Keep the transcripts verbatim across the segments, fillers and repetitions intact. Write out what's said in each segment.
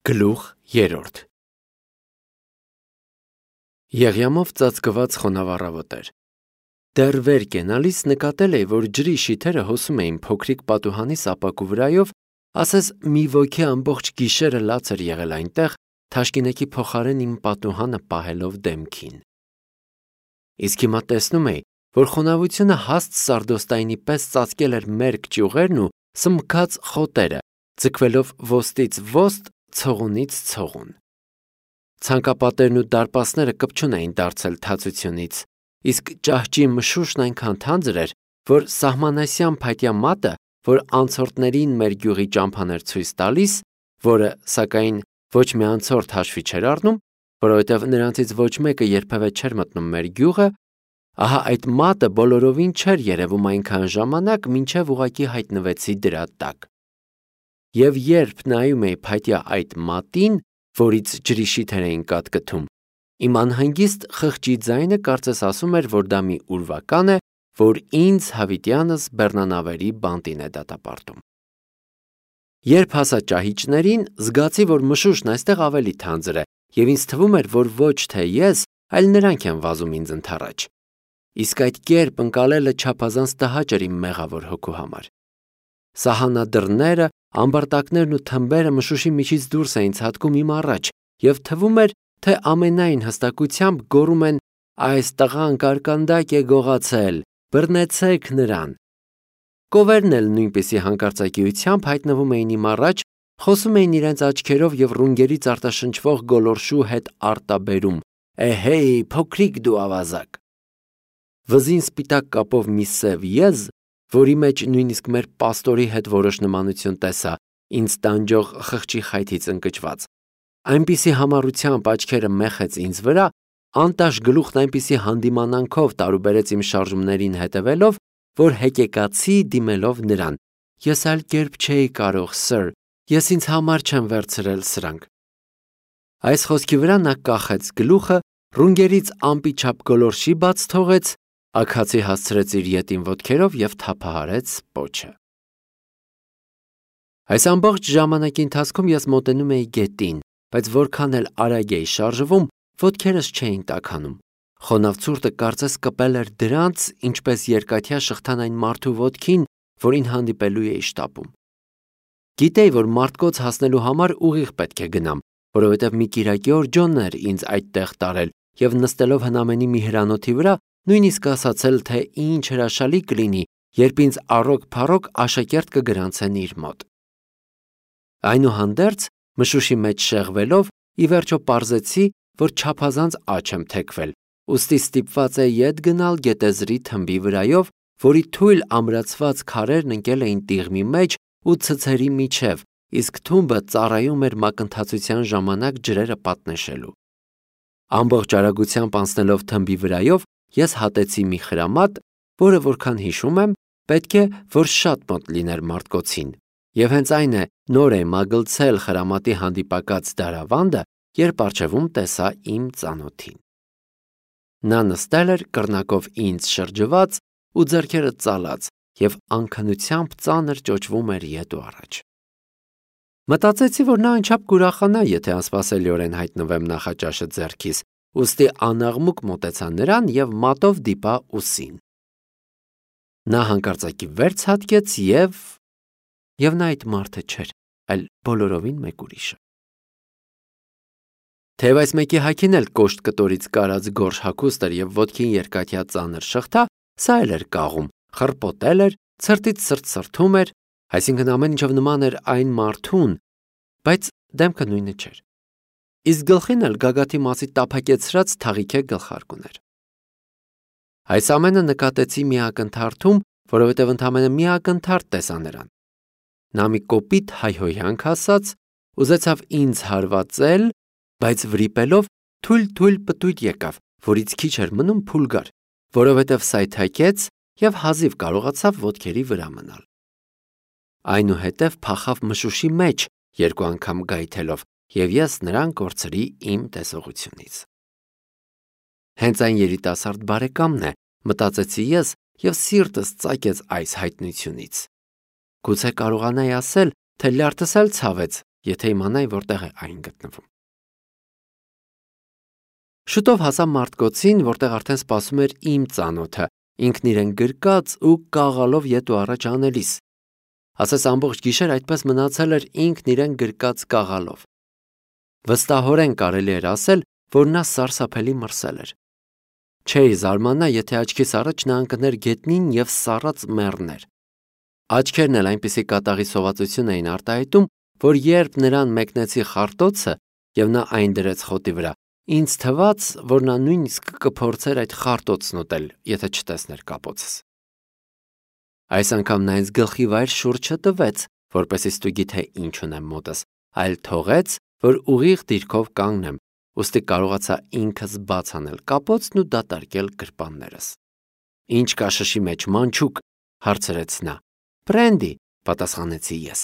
Գլուխ երրորդ Եղյամով ծածկված խոնավ առավոտ էր։ Դեռ վեր կենալիս նկատել էի, որ ջրի շիթերը հոսում էին փոքրիկ պատուհանի սապակու վրայով, ասես մի ոգի ամբողջ գիշերը լաց էր եղել այնտեղ, թաշկինակի փոխարեն իմ պատուհանը պահելով դեմքին։ Իսկ հիմա տեսնում էի, որ խոնավությունը հաստ սարդոստայնի պես ծածկել էր մերկ ճյուղերն ու սմբքած խոտերը, ձգվելով ոստից ոստ, ցողունից ցողուն։ Ցանկապատերն ու դարպասները կպչուն էին դարձել թացությունից, իսկ ճահճի մշուշն այնքան թանձր էր, որ սահմանասյան փայտյա մատը, որ անցորդներին մեր գյուղի ճամփան էր ցույց տալիս, որը, սակայն, ոչ մի անցորդ հաշվի չէր առնում, որովհետև նրանցից ոչ մեկը երբևէ չէր մտնում մեր գյուղը, ահա այդ մատը բոլորովին չէր երևում այնքան ժամանակ, մինչև ուղղակի հայտնվեցի դրա տակ։ Եվ երբ նայում էի փայտյա այդ մատին, որից ջրի շիթեր էին կատկթում, իմ անհանգիստ խղճի ձայնը կարծես ասում էր, որ դա մի ուրվական է, որ ինձ հավիտյանս բեռնանավերի բանտին է դատապարտում։ Երբ հասա ճահիճներին, զգացի, որ մշուշն այստեղ ավելի թանձր է, և ինձ թվում էր, որ ոչ թե ես, այլ նրանք են վազում ինձ ընդառաջ։ Իսկ այդ կերպ ընկալելը չափազանց տհաճ էր իմ մեղավոր հոգու համար։ Սահանադրները, ամբարտակներն ու թմբերը մշուշի միջից դուրս էին ցատկում իմ առաջ, և թվում էր, թե ամենայն հստակությամբ գոռում են. «Այս տղան կարկանդակ է գողացել, բռնեցեք նրան»։ Կովերն էլ նույնպիսի հանկարծակիությամբ հայտնվում էին իմ առաջ, խոսում էին իրենց աչքերով և ռունգերից արտաշնչվող գոլորշու հետ արտաբերում. «Էհեյ, փոքրիկ դու ավազակ»։ Վզին սպիտակ կապով մի սև եզ, որի մեջ նույնիսկ մեր պաստորի հետ որոշ նմանություն տեսա, ինձ տանջող խղճի խայթից ընկճված, այնպիսի համառությամբ աչքերը մեխեց ինձ վրա, անտաշ գլուխն այնպիսի հանդիմանանքով տարուբերեց իմ շարժումներին հետևելով, որ հեկեկացի դիմելով նրան. «Ես այլ կերպ չէի կարող, սըր, ես ինձ համար չեմ վերցրել սրանք»։ Այս խոսքի վրա նա կախեց գլուխը, ռունգերից ամպի չափ գոլորշի բաց թողեց, աքացի հասցրեց իր ետին ոտքերով և թափահարեց պոչը։ Այս ամբողջ ժամանակի ընթացքում ես մոտենում էի գետին, բայց որքան էլ արագ էի շարժվում, ոտքերս չէին տաքանում։ Խոնավ ցուրտը կարծես կպել էր դրանց, ինչպես երկաթյա շղթան այն մարդու ոտքին, որին հանդիպելու էի շտապում։ Գիտեի, որ մարդկոց հասնելու համար ուղիղ պետք է գնամ, որովհետև մի կիրակի օր Ջոնն էր ինձ այդտեղ տարել և նստելով հնամենի մի հրանոթի վրա, նույնիսկ ասացել, թե ինչ հրաշալի կլինի, երբ ինձ առօգ-փառոգ աշակերտ կգրանցեն իր մոտ։ Այնուհանդերձ, մշուշի մեջ շեղվելով, ի վերջո պարզեցի, որ չափազանց աջ եմ թեքվել, ուստի ստիպված էի ետ գնալ գետեզրի թմբի վրայով, որի թույլ ամրացված քարերն ընկել էին տիղմի մեջ ու ցցերի միջև, իսկ թումբը ծառայում էր մակընթացության ժամանակ ջրերը պատնեշելու։ Ամբողջ արագությամբ անցնելով թմբի վրայով, ես հատեցի մի խրամատ, որը, որքան հիշում եմ, պետք է, որ շատ մոտ լիներ մարդկոցին, և հենց այն է, նոր է մագլցել խրամատի հանդիպակաց դարավանդը, երբ առջևում տեսա իմ ծանոթին։ Նա նստել էր կռնակով ինձ շրջված ու ձեռքերը ծալած և անքնությամբ ծանր ճոճվում էր ետ ու առաջ։ Մտածեցի, որ նա անչափ կուրախանա, եթե անսպասելիորեն հայտնվեմ նախաճաշը ձեռքիս, ուստի անաղմուկ մոտեցա նրան և մատով դիպա ուսին։ Նա հանկարծակի վեր ցատկեց և… և նա այդ մարդը չէր, այլ բոլորովին մեկ ուրիշը։ Թեև այս մեկի հագին էլ կոշտ կտորից կարած գորշ հագուստ էր և ոտքին երկաթյա ծանր շղթա, սա էլ էր կաղում, խռպոտել էր, ցրտից ցրտ սրթում էր, այսինքն ամեն ինչով նման էր այն մարդուն, բայց դեմքը նույնը չէր։ Իսկ գլխին էլ գագաթի մասի տափակեցրած թաղիքե գլխարկ ուներ։ Այս ամենը նկատեցի մի ակնթարթում, որովհետև ընդամենը մի ակնթարթ տեսա նրան։ Նա մի կոպիտ հայհոյանք ասաց, ուզեցավ ինձ հարվածել, բայց վրիպելով թույլ-թույլ պտույտ եկավ, որից քիչ էր մնում փուլ գար, որովհետև սայթաքեց և հազիվ կարողացավ ոտքերի վրա մնալ։ Այնուհետև փախավ մշուշի մեջ երկու անգամ գայթելով, և ես նրան կորցրի իմ տեսողությունից։ Հենց այն երիտասարդ բարեկամն է, մտածեցի ես, և սիրտս ծակեց այս հայտնությունից։ Գուցե կարողանայի ասել, թե լյարդս էլ ցավեց, եթե իմանայի որտեղ է այն գտնվում։ Շուտով հասա մարդկոցին, որտեղ արդեն սպասում էր իմ ծանոթը, ինքն իրեն գրկած ու կաղալով ետ ու առաջ անելիս։ Ասես ամբողջ գիշեր այդպես մնացել էր ինքն իրեն գրկած կաղալով։ Վստահորեն կարելի էր ասել, որ նա սարսափելի մրսել էր։ Չէի զարմանա, եթե աչքիս առաջ նա ընկներ գետնին և սառած մեռներ։ Աչքերն էլ այնպիսի կատաղի սովածություն էին արտահայտում, որ երբ նրան մեկնեցի խարտոցը և նա այն դրեց խոտի վրա, ինձ թվաց, որ նա նույնիսկ կփորձեր այդ խարտոցն ուտել, եթե չտեսներ կապոցս։ Այս անգամ նա ինձ գլխի վայր շուրջ չտվեց, որպեսզի ստուգի թե ինչ ունեմ մոտս, այլ թողեց, որ ուղիղ դիրքով կանգնեմ, ուստի կարողացա ինքս բաց անել կապոցն ու դատարկել գրպաններս։ Ինչ կա շշի մեջ, մանչուկ, հարցրեց նա։ Բրենդի, պատասխանեցի ես։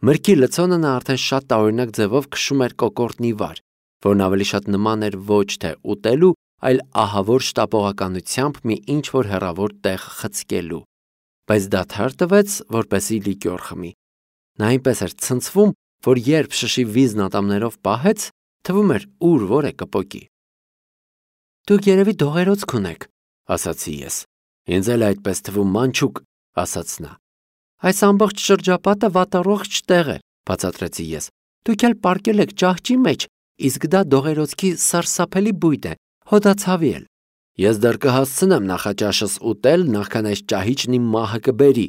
Մրգի լցոնը նա արդեն շատ տարօրինակ ձևով քշում էր կոկորդնի վար, որն ավելի շատ նման էր ոչ թե ուտելու, այլ ահավոր շտապողականությամբ մի ինչ-որ հեռավոր տեղ խցկելու, բայց դադար տվեց, որպեսզի լիկյոր խմի։ Նա այնպես էր ցնցվում, որ երբ շշի վիզն ատամներով պահեց, թվում էր ուր որ է կպոկի։ Դուք երևի դողերոց կունեք, ասացի ես։ Ինձ էլ այդպես թվում, մանչուկ, ասաց նա։ Այս ամբողջ շրջապատը վատառողջ տեղ է, բացատրեցի ես։ Դուք էլ պարկել եք ճահճի մեջ, իսկ դա դողերոցքի սարսափելի բույն է, հոդացավի էլ։ Ես դեռ կհասցնեմ նախաճաշս ուտել, նախքան այս ճահիճն իմ մահը կբերի,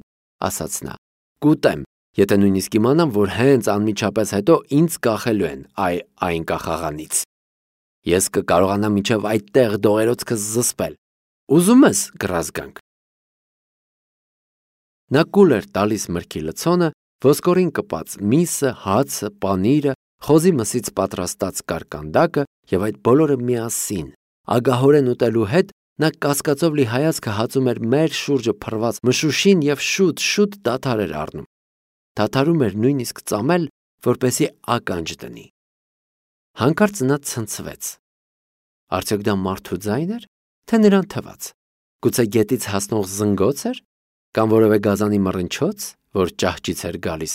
ասաց նա։ Կուտեմ, եթե նույնիսկ իմանամ, որ հենց անմիջապես հետո ինձ կախելու են այ այն կախաղանից։ Ես կկարողանամ մինչև այդտեղ դողերոցքս զսպել։ Ուզում ես կռազգանք։ Նա կուլ էր տալիս մրգի լցոնը, ոսկորին կպած միսը, հացը, պանիրը, խոզի մսից պատրաստած կարկանդակը և այդ բոլորը միասին։ Ագահորեն ուտելու հետ նա կասկածով լի հայացքը հածում էր մեր շուրջը փռված մշուշին և շուտ-շուտ դադար էր առնում։ Դադարում էր նույնիսկ ծամել, որպեսզի ականջ դնի։ Հանկարծ նա ցնցվեց։ Արդյոք դա մարդու ձայն էր, թե նրան թվաց։ Գուցե գետից հասնող զնգոց էր, կամ որևէ գազանի մռնչոց, որ ճահճից էր գալիս,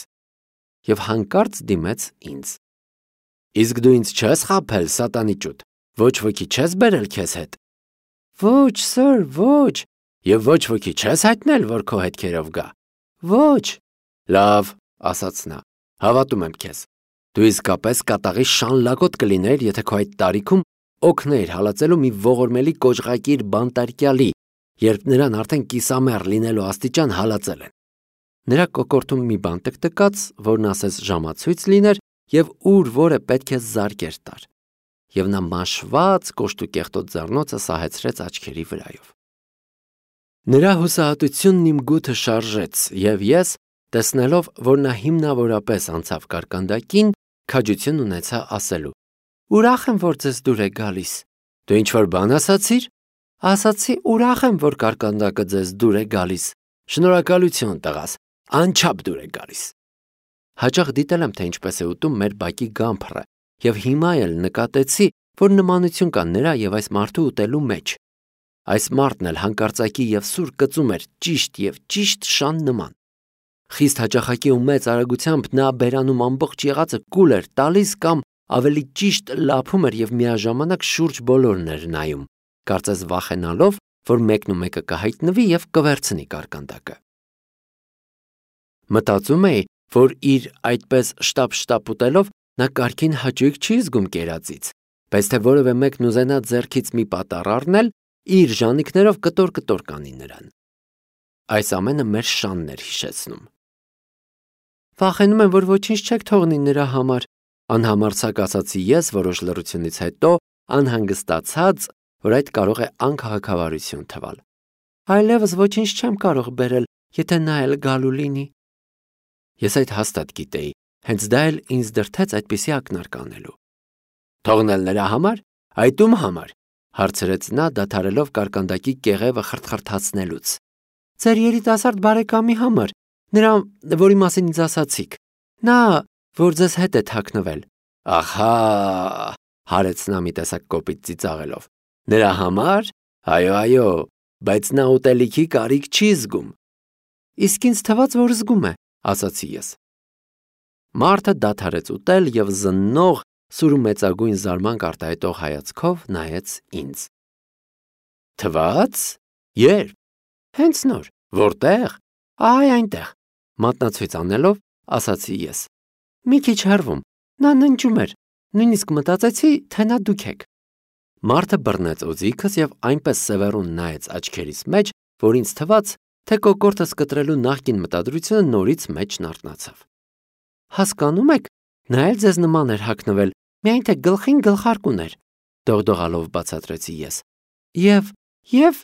և հանկարծ դիմեց ինձ։ Իսկ դու ինձ չես խաբել, սատանի ճուտ, ոչ ոքի չես բերել քեզ հետ։ Ոչ, սըր, ոչ, և ոչ ոքի չես հայտնել, որ քո հետքերով գա։ Ոչ։ Լավ, ասաց նա, հավատում եմ քեզ։ Դու իսկապես կատաղի շանլակոտ կլիներ, եթե քո այդ տարիքում օգներ հալածելու մի ողորմելի կոճղակիր բանտարկյալի, երբ նրան արդեն կիսամեռ լինելու աստիճան հալածել են։ Նրա կոկորդում մի բան տկտկաց, որն ասես ժամացույց լիներ և ուր որը պետք է զարկեր տար, և նա մաշված կոշտուկեղտոտ ձեռնոցը սահեցրեց աչքերի վրայով։ Նրա հուսահատությունն իմ գութը շարժեց, և ես, տեսնելով, որ նա հիմնավորապես անցավ կարկանդակին, քաջություն ունեցա ասելու. Ուրախ եմ, որ ձեզ դուր է գալիս։ Դու ինչ-որ բան ասացիր։ Ասացի, ուրախ եմ, որ կարկանդակը ձեզ դուր է գալիս։ Շնորհակալություն, տղաս, անչափ դուր է գալիս։ Հաճախ դիտել եմ, թե ինչպես է ուտում մեր բակի գամփռը, և հիմա էլ նկատեցի, որ նմանություն կա նրա և այս մարդու ուտելու մեջ։ Այս մարդն էլ հանկարծակի և սուր կծում էր ճիշտ և ճիշտ շան նման։ Խիստ հաճախակի ու մեծ արագությամբ նա բերանում ամբողջ եղածը կուլ էր տալիս կամ ավելի ճիշտ լափում էր և միաժամանակ շուրջ բոլորն էր նայում, կարծես վախենալով, որ մեկն ու մեկը կհայտնվի և կվերցնի կարկանդակը։ Մտածում էի, որ իր այդպես շտապ-շտապ ուտելով նա կարգին հաճույք չի զգում կերածից, բայց թե որևէ մեկն ուզենա ձեռքից մի պատառ առնել, իր ժանիքներով կտոր-կտոր կանի նրան։ Այս ամենը մեր շանն էր հիշեցնում։ Վախենում եմ, որ ոչինչ չեք թողնի նրա համար, անհամարձակ ասացի ես որոշ լռությունից հետո, անհանգստացած, որ այդ կարող է անքաղաքավարություն թվալ։ Այլևս ոչինչ չեմ կարող բերել, եթե նա էլ գալու լինի։ Ես այդ հաստատ գիտեի, հենց դա էլ ինձ դրդեց այդպիսի ակնարկ անելու։ Թողնել նրա համար, այդ ում համար, հարցրեց նա, դադարելով կարկանդակի կեղևը խրթխրթացնելուց։ Ձեր երիտասարդ բարեկամի համար, նրա, որի մասին ինձ ասացիք։ Նա, որ ձեզ հետ է թաքնվել։ Ահա, հարեց նա մի տեսակ կոպիտ ծիծաղելով։ Նրա համար, այո, այո, բայց նա ուտելիքի կարիք չի զգում։ Իսկ ինձ թվաց, որ զգում է, ասացի ես։ Մարդը դադարեց ուտել և զննող, սուրը մեծագույն զարմանք արտահայտող հայացքով նայեց ինձ։ Թվաց։ Երբ։ Հենց նոր։ Որտեղ։ Այ այնտեղ, մատնացույց անելով, ասացի ես։ Մի քիչ հեռվում, նա ննջում էր, նույնիսկ մտածեցի, թե նա դուք եք։ Մարդը բռնեց օձիքս և այնպես սևեռուն նայեց աչքերիս մեջ, որ ինձ թվաց, թե կոկորդս կտրելու նախկին մտադրությունը նորից մեջն արթնացավ։ Հասկանում եք, նա էլ ձեզ նման էր հագնվել, միայն թե գլխին գլխարկ ուներ, դողդողալով բացատրեցի ես։ Եվ, և,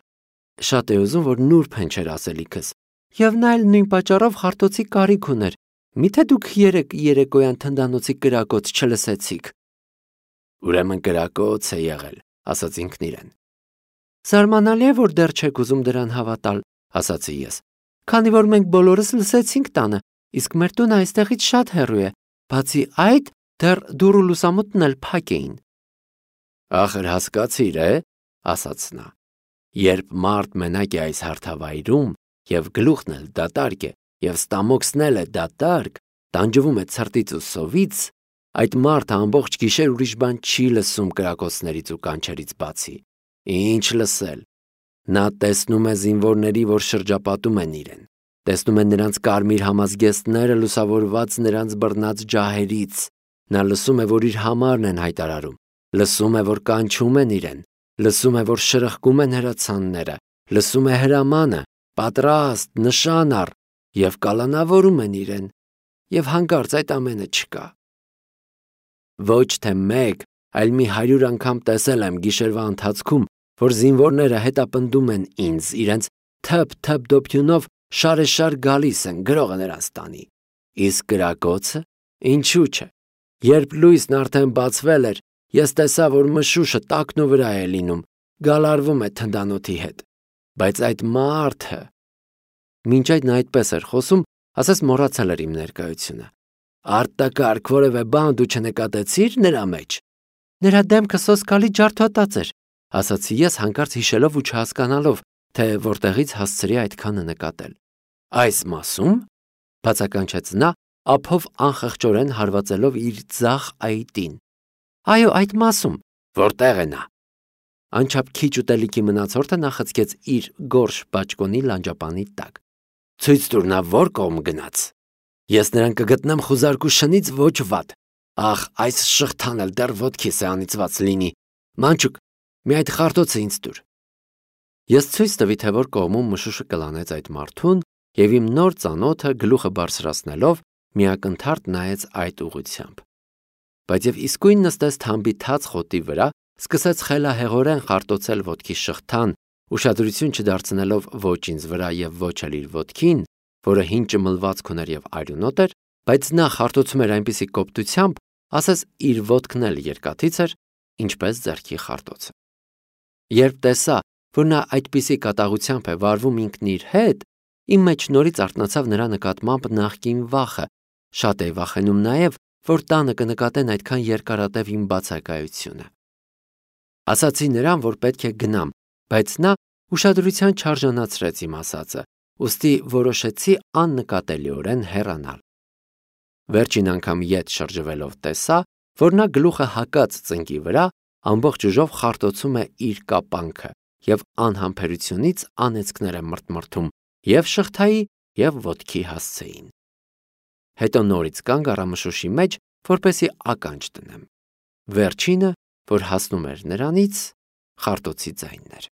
շատ է ուզում, որ նուրբ հնչեր ասելիքս, և նա էլ նույն պատճառով խարտոցի կարիք ուներ, միթե դուք երեկ երեկոյան թնդանոցի կրակոց չլսեցիք։ Ուրեմն կրակոց է եղել, ասաց ինքն իրեն։ Զարմանալի է, որ դեռ չեք ուզում դրան հավատալ, ասացի ես, քանի որ մենք բոլորս լսեցինք տանը, իսկ մեր տունը այստեղից շատ հեռու է, բացի այդ, դեռ դուռ ու լուսամուտն էլ փակ էին։ Ախր հասկացիր, է, ասաց նա, երբ մարդ մենակ է այս հարթավայրում, և գլուխն էլ դատարկ է, և ստամոքսն էլ է դատարկ, տանջվում է ցրտից ու սովից, այդ մարդը ամբողջ գիշեր ուրիշ բան չի լսում կրակոցներից ու կանչերից բացի։ Ինչ լսել։ Նա տեսնում է զինվորների, որ շրջապատում են իրեն, տեսնում է նրանց կարմիր համազգեստները լուսավորված նրանց բռնած ջահերից, նա լսում է, որ իր համարն են հայտարարում, լսում է, որ կանչում են իրեն, լսում է, որ շրխկում են հրացանները, լսում է հրամանը, պատրաստ, նշան առ, և կալանավորում են իրեն, և հանկարծ այդ ամենը չկա։ Ոչ թե մեկ, այլ մի հարյուր անգամ տեսել եմ գիշերվա ընթացքում, որ զինվորները հետապնդում են ինձ, իրենց թփ-թփ դոփյունով շարեշար գալիս են, գրողը նրանց տանի։ Իսկ կրակոցը, ինչու՞ չէ։ Երբ լույսն արդեն բացվել էր, ես տեսա, որ մշուշը տակնու վրա է լինում, գալարվում է թնդանոթի հետ։ Բայց այդ մարդը… Մինչ այդ նա այդպես էր խոսում, ասես մոռացել էր իմ ներկայությունը։ Արտակարգ որևէ բան դու չնկատեցի՞ր նրա մեջ։ Նրա դեմքը սոսկալի ջարդոտած էր, ասացի ես հանկարծ հիշելով ու չհասկանալով, թե որտեղից հասցրի այդքանը նկատել։ Այս մասում, բացականչեց նա, ափով անխղճորեն հարվածելով իր ձախ այտին։ Այո, այդ մասում։ Որտեղ է նա։ Անչափ քիչ ուտելիքի մնացորդը նա խցկեց իր գորշ բաճկոնի լանջապանի տակ։ Ցույց տուր, նա որ կողմ գնաց։ Ես նրան կգտնեմ խուզարկու շնից ոչ վատ։ Ախ, այս շղթան էլ դեռ ոտքիս է անիծված լինի։ Մանչուկ, մի այդ խարտոցը ինձ տուր։ Ես ցույց տվի, թե որ կողմում մշուշը կլանեց այդ մարդուն, և իմ նոր ծանոթը գլուխը բարձրացնելով միակնթարթ նայեց այդ ուղղությամբ։ Բայց և իսկույն նստեց թամբի թաց խոտի վրա, սկսեց խելահեղորեն խարտոցել ոտքի շղթան, ուշադրություն չդարձնելով ոչ ինձ վրա և ոչ էլ իր ոտքին, որը հին ճմլվածք ուներ և արյունոտ էր, բայց նա խարտոցում էր այնպիսի կոպտությամբ, ասես իր ոտքն էլ երկաթից էր, ինչպես ձեռքի խարտոցը։ Երբ տեսա, որ նա այդպիսի կատաղությամբ է վարվում ինքն իր հետ, իմ մեջ նորից արթնացավ նրա նկատմամբ նախկին վախը, շատ էի վախենում նաև, որ տանը կնկատեն այդքան երկարատև իմ բացակայությունը։ Ասացի նրան, որ պետք է գնամ, բայց նա ուշադրության չարժանացրեց իմ ասածը, ուստի որոշեցի աննկատելիորեն հեռանալ։ Վերջին անգամ ետ շրջվելով տեսա, որ նա գլուխը հակած ծնկի վրա ամբողջ ուժով խարտոցում է իր կապանքը և անհամբերությունից անեծքներ է մրթմրթում և շղթայի և ոտքի հասցեին։ Հետո նորից կանգ առա մշուշի մեջ, որպեսզի ականջ դնեմ։ Վերջինը, որ հասնում էր նրանից, խարտոցի ձայնն էր։